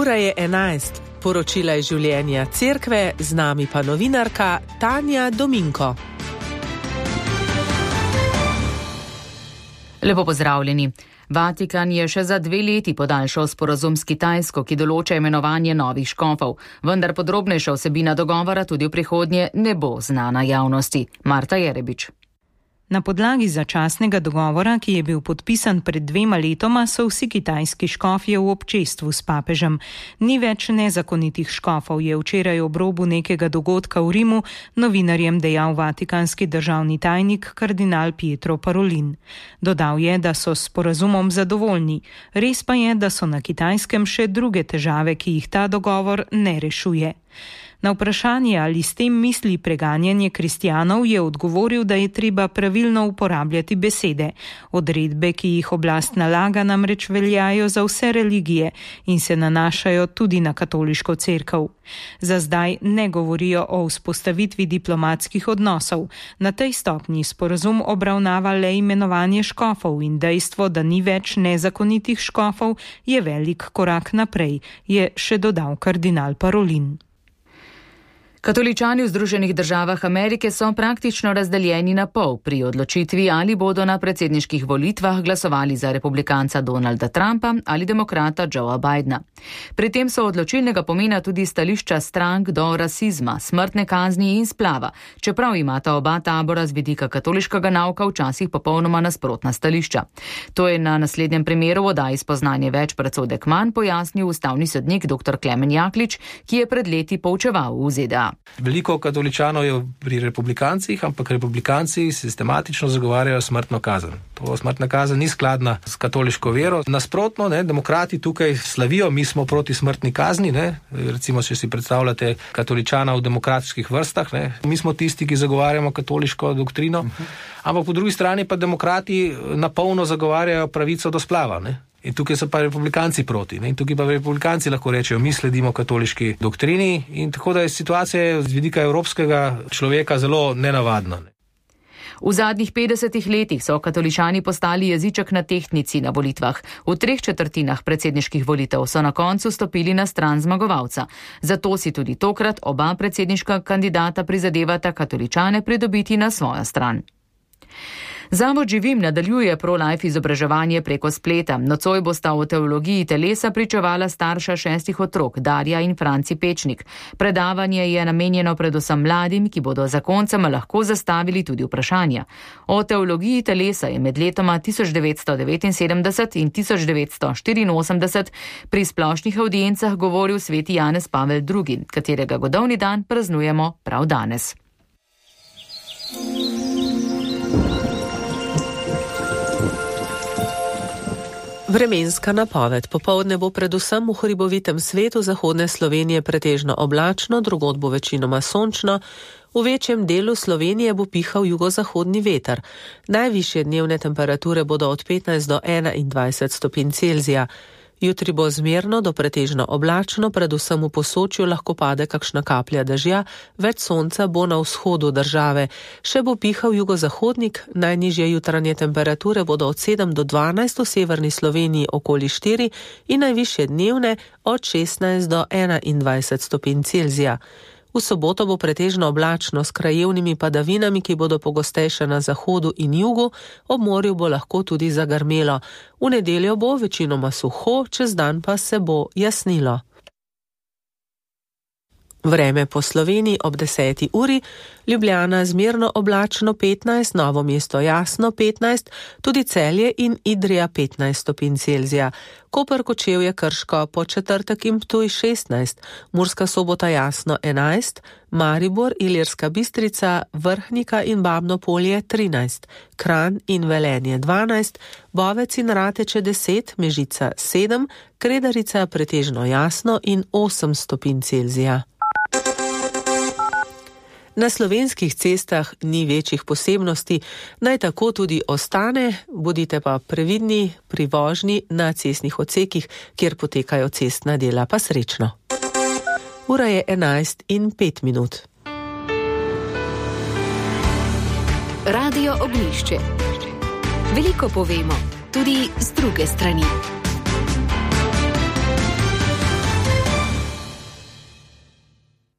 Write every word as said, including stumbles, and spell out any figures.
Ura je enajst. Poročila iz življenja cerkve, z nami pa novinarka Tanja Dominko. Lepo pozdravljeni. Vatikan je še za dve leti podaljšal sporazum s Kitajsko, ki določa imenovanje novih škofov, vendar podrobnejša vsebina dogovora tudi v prihodnje ne bo znana javnosti. Marta Jerebič. Na podlagi začasnega dogovora, ki je bil podpisan pred dvema letoma, so vsi kitajski škofje v občestvu s papežem. Ni več nezakonitih škofov, je včeraj ob robu nekega dogodka v Rimu novinarjem dejal vatikanski državni tajnik kardinal Pietro Parolin. Dodal je, da so s sporazumom zadovoljni. Res pa je, da so na Kitajskem še druge težave, ki jih ta dogovor ne rešuje. Na vprašanje, ali s tem misli preganjanje kristjanov, je odgovoril, da je treba pravilno uporabljati besede. Odredbe, ki jih oblast nalaga, namreč veljajo za vse religije in se nanašajo tudi na katoliško cerkev. Za zdaj ne govorijo o vzpostavitvi diplomatskih odnosov. Na tej stopnji sporazum obravnava le imenovanje škofov in dejstvo, da ni več nezakonitih škofov, je velik korak naprej, je še dodal kardinal Parolin. Katoličani v Združenih državah Amerike so praktično razdeljeni na pol pri odločitvi, ali bodo na predsedniških volitvah glasovali za republikanca Donalda Trumpa ali demokrata Joea Bidena. Pri tem so odločilnega pomena tudi stališča strank do rasizma, smrtne kazni in splava, čeprav imata oba tabora z vidika katoliškega nauka včasih popolnoma nasprotna stališča. To je na naslednjem primeru v oddaji Spoznanje več predsodek manj pojasnil ustavni sodnik dr. Klemen Jaklič, ki je pred leti poučeval v Z D A. Veliko katoličanov je pri republikancih, ampak republikanci sistematično zagovarjajo smrtno kazen. To smrtna kazen ni skladna s katoliško vero. Nasprotno, ne, demokrati tukaj slavijo, mi smo proti smrtni kazni, ne, recimo, če si predstavljate katoličana v demokratičnih vrstah, ne, mi smo tisti, ki zagovarjamo katoliško doktrino, ampak po drugi strani pa demokrati napolno zagovarjajo pravico do splava, ne. In tukaj so pa republikanci proti. Ne? In tukaj pa republikanci lahko rečejo, mi sledimo katoliški doktrini in tako da je situacija z vidika evropskega človeka zelo nenavadna. Ne? V zadnjih petdesetih letih so katoličani postali jeziček na tehtnici na volitvah. V treh četrtinah predsedniških volitev so na koncu stopili na stran zmagovalca. Zato si tudi tokrat oba predsedniška kandidata prizadevata katoličane pridobiti na svojo stran. Zavod Živim nadaljuje pro-life izobraževanje preko spleta. Nocoj bosta o teologiji telesa pričevala starša šestih otrok, Darja in Franci Pečnik. Predavanje je namenjeno predvsem mladim, ki bodo za koncem lahko zastavili tudi vprašanja. O teologiji telesa je med letoma tisoč devetsto devetinsedemdeset in tisoč devetsto štiriinosemdeset pri splošnih avdiencah govoril sveti Janez Pavel drugi, katerega godovni dan praznujemo prav danes. Vremenska napoved. Popoldne bo predvsem v hribovitem svetu zahodne Slovenije pretežno oblačno, drugod bo večinoma sončno. V večjem delu Slovenije bo pihal jugozahodni veter. Najvišje dnevne temperature bodo od petnajst do enaindvajset stopinj Celzija. Jutri bo zmerno do pretežno oblačno, predvsem v Posočju lahko pade kakšna kaplja dežja, več sonca bo na vzhodu države. Še bo pihal jugozahodnik, najnižje jutranje temperature bodo od sedem do dvanajst, v severni Sloveniji okoli štiri in najvišje dnevne od šestnajst do enaindvajset stopinj Celzija. V soboto bo pretežno oblačno s krajevnimi padavinami, ki bodo pogostejše na zahodu in jugu, ob morju bo lahko tudi zagrmelo. V nedeljo bo večinoma suho, čez dan pa se bo jasnilo. Vreme po Sloveniji ob deseti uri, Ljubljana zmerno oblačno petnajst, Novo mesto jasno petnajst, tudi Celje in Idrija petnajst stopinj Celzija. Koper, Kočevje, Krško po četrtek in Ptuj šestnajst, Murska Sobota jasno enajst, Maribor, Ilirska Bistrica, Vrhnika in Babno Polje trinajst, Kranj in Velenje dvanajst, Bovec in Rateče deset, Mežica sedem, Kredarica pretežno jasno in osem stopinj Celzija. Na slovenskih cestah ni večjih posebnosti, naj tako tudi ostane, bodite pa previdni pri vožnji na cestnih odsekih, kjer potekajo cestna dela, pa srečno. Ura je enajst in pet minut. Radio Ognjišče. Veliko povemo, tudi z druge strani.